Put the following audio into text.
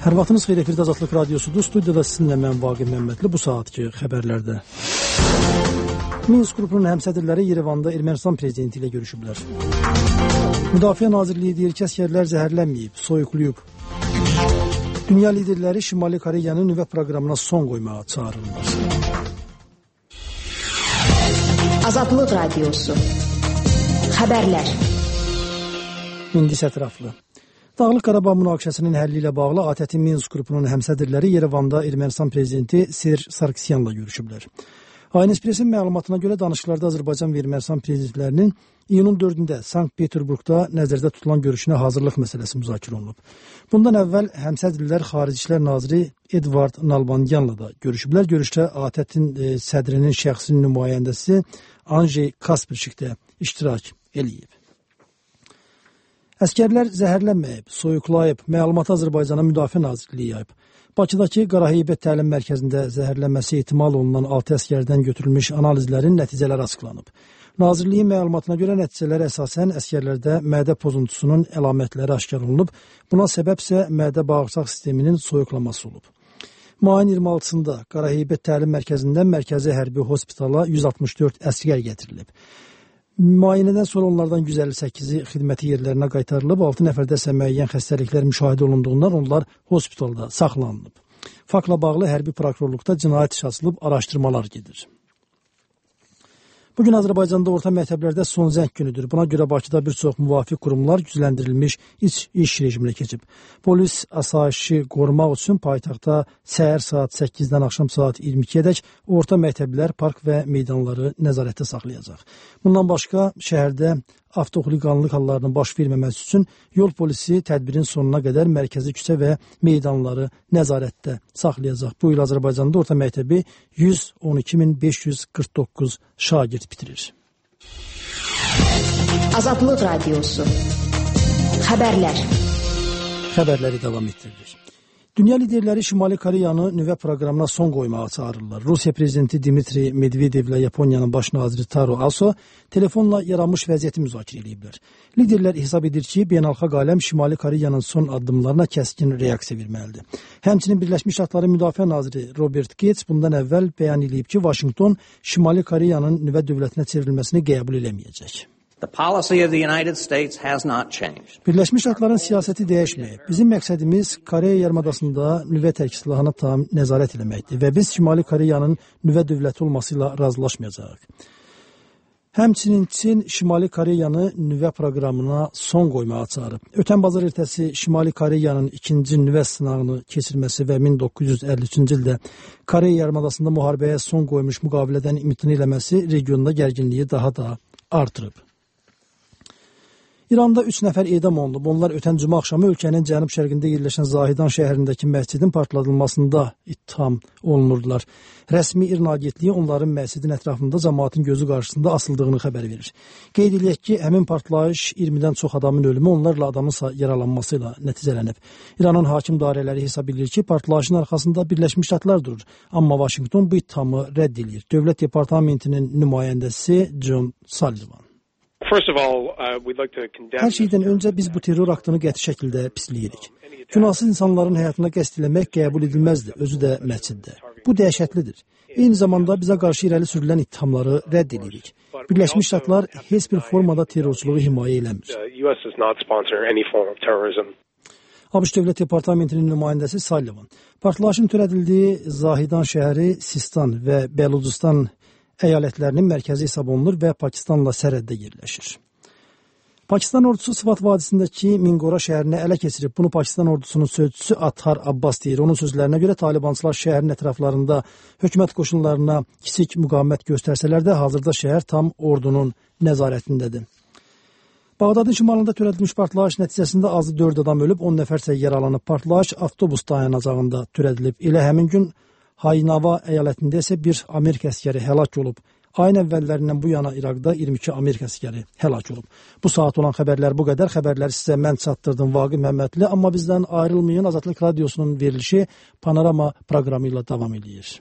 Hər vaxtınız xeyir, efirdə Azadlıq Radiosudur. Studiyada sizinlə mən Vaqif Məmmədli. Bu saatki xəbərlərdə. Minsk qrupunun həmsədrləri Yerevanda Ermənistan prezidenti ilə görüşüblər. Müdafiə Nazirliyi deyir ki, əsgərlər zəhərlənməyib, soyuqlayıb. Dünya liderləri Şimali Koreyanın nüvə proqramına son qoymağa çağırırlar. Azadlıq Radiosu. Xəbərlər. İndi isə ətraflı. Dağlıq Qarabağ münaqişəsinin həlli ilə bağlı ATƏT-in Minsk qrupunun həmsədrləri Yerevanda Ermənistan prezidenti Serj Sarkisyanla görüşüblər. ANS-Pressin məlumatına görə danışıqlarda Azərbaycan və Ermənistan prezidentlərinin iyunun 4-də Sankt-Peterburqda nəzərdə tutulan görüşünə hazırlıq məsələsi müzakirə olunub. Bundan əvvəl həmsədrlər Xarici İşlər Naziri Edvard Nalbandyanla da görüşüblər. Görüşdə ATƏT-in sədrinin şəxsi nümayəndəsi Anjey Kasperçik də iştirak eləyib. Əskərlər zəhərlənməyib, soyuqlayıb, məlumatı Azərbaycana Müdafiə Nazirliyi yayıb. Bakıdakı Qaraheybət təlim mərkəzində zəhərlənməsi ehtimal olunan 6 əskərdən götürülmüş analizlərin nəticələri açıqlanıb. Nazirliyin məlumatına görə nəticələrə əsasən əskərlərdə mədə pozuntusunun əlamətləri aşkar olunub. Buna səbəb isə mədə-bağırsaq sisteminin soyuqlaması olub. Mayın 26-sında Qaraheybət təlim mərkəzindən mərkəzi hərbi hospitala 164 əskər gətirilib. Müayinədən sonra onlardan 158-i xidməti yerlərinə qaytarılıb, 6 nəfərdə isə müəyyən xəstəliklər müşahidə olunduğundan onlar hospitalda saxlanılıb. Faktla bağlı hərbi prokurorluqda cinayət işi açılıb, araşdırmalar gedir. Bugün Azərbaycanda orta məktəblərdə son zəng günüdür. Buna görə Bakıda bir çox müvafiq qurumlar gücləndirilmiş iş rejiminə keçib. Polis asayişi qorumaq üçün paytaxtda səhər saat 8-dən axşam saat 22-ədək orta məktəblər, park və meydanları nəzarətdə saxlayacaq. Bundan başqa şəhərdə avtoxuliqanlıq hallarının baş verməməsi üçün yol polisi tədbirin sonuna qədər mərkəzi küçə və meydanları nəzarətdə saxlayacaq. Bu il Azərbaycanda orta məktəbi 112.549 şagird bitirir. Azadlıq Radiosu. Xəbərlər. Xəbərləri davam etdirilir. Dünya liderləri Şimali Koreyanı nüvə proqramına son qoymağa çağırırlar. Rusiya prezidenti Dmitri Medvedevlə Yaponiyanın baş naziri Taro Aso telefonla yaranmış vəziyyəti müzakirə ediblər. Liderlər hesab edir ki, beynəlxalq aləm Şimali Koreyanın son addımlarına kəskin reaksiya verməlidir. Həmçinin Birləşmiş Ştatların Müdafiə naziri Robert Gates bundan əvvəl bəyan edib ki, Vaşinqton Şimali Koreyanın nüvə dövlətinə çevrilməsini qəbul eləməyəcək. Birləşmiş Ştatların siyasəti dəyişməyib. Bizim məqsədimiz Koreya yarımadasında nüvə tərk-silahına tam nəzarət eləməkdir və biz Şimali Koreyanın nüvə dövləti olması ilə razılaşmayacağıq. Həmçinin Çin Şimali Koreyanı nüvə proqramına son qoymağa çağırıb. Ötən bazar ertəsi Şimali Koreyanın ikinci nüvə sınağını keçirməsi və 1953-cü ildə Koreya yarımadasında müharibəyə son qoymuş müqavilədən imtina eləməsi regionda gərginliyi daha da artırıb. İranda 3 nəfər edam olunub. Onlar ötən cümə axşamı ölkənin cənub-şərqində yerləşən Zahidan şəhərindəki məscidin partladılmasında ittiham olunurdular. Rəsmi İran agentliyi onların məscidin ətrafında cəmaatın gözü qarşısında asıldığını xəbər verir. Qeyd edək ki, həmin partlayış 20-dən çox adamın ölümü, onlarla adamın yaralanması ilə nəticələnib. İranın hakim dairələri hesab edir ki, partlayışın arxasında Birləşmiş Ştatlar durur. Amma Vaşinqton bu ittihamı rədd edir. Dövlət Departamentinin nümayəndəsi John Sullivan. Hər şeydən öncə biz bu terror aktını qəti şəkildə pisləyirik. Günahsız insanların həyatına qəsd eləmək qəbul edilməzdir, özü də məsciddə. Bu dəhşətlidir. Eyni zamanda bizə qarşı irəli sürülən ittihamları rədd edirik. Birləşmiş Ştatlar heç bir formada terrorçuluğu himayə eləmir. ABŞ Dövlət Departamentinin nümayəndəsi Sullivan, partlayışın törədildiyi Zahidan şəhəri Sistan və Bəlucistan əyalətlərinin mərkəzi hesab olunur və Pakistanla sərhəddə yerləşir. Pakistan ordusu Sıvat vadisindəki Mingora şəhərini ələ keçirib. Bunu Pakistan ordusunun sözçüsü Athar Abbas deyir. Onun sözlərinə görə Talibançılar şəhərin ətraflarında hökumət qoşunlarına kiçik müqavimət göstərsələr də hazırda şəhər tam ordunun nəzarətindədir. Bağdadın şimalında törədilmiş partlayış nəticəsində azı 4 adam ölüb, 10 nəfər isə yaralanıb. Partlayış avtobus dayanacağında törədilib. Elə həmin gün Haynava əyalətində isə bir Amerika əskəri həlak olub. Ayın əvvəllərindən bu yana İraqda 22 Amerika əskəri həlak olub. Bu saat olan xəbərlər bu qədər. Xəbərləri sizə mən çatdırdım Vaqif Məmmədli. Amma bizdən ayrılmayın. Azadlıq Radiosunun verilişi Panorama proqramı ilə davam edir.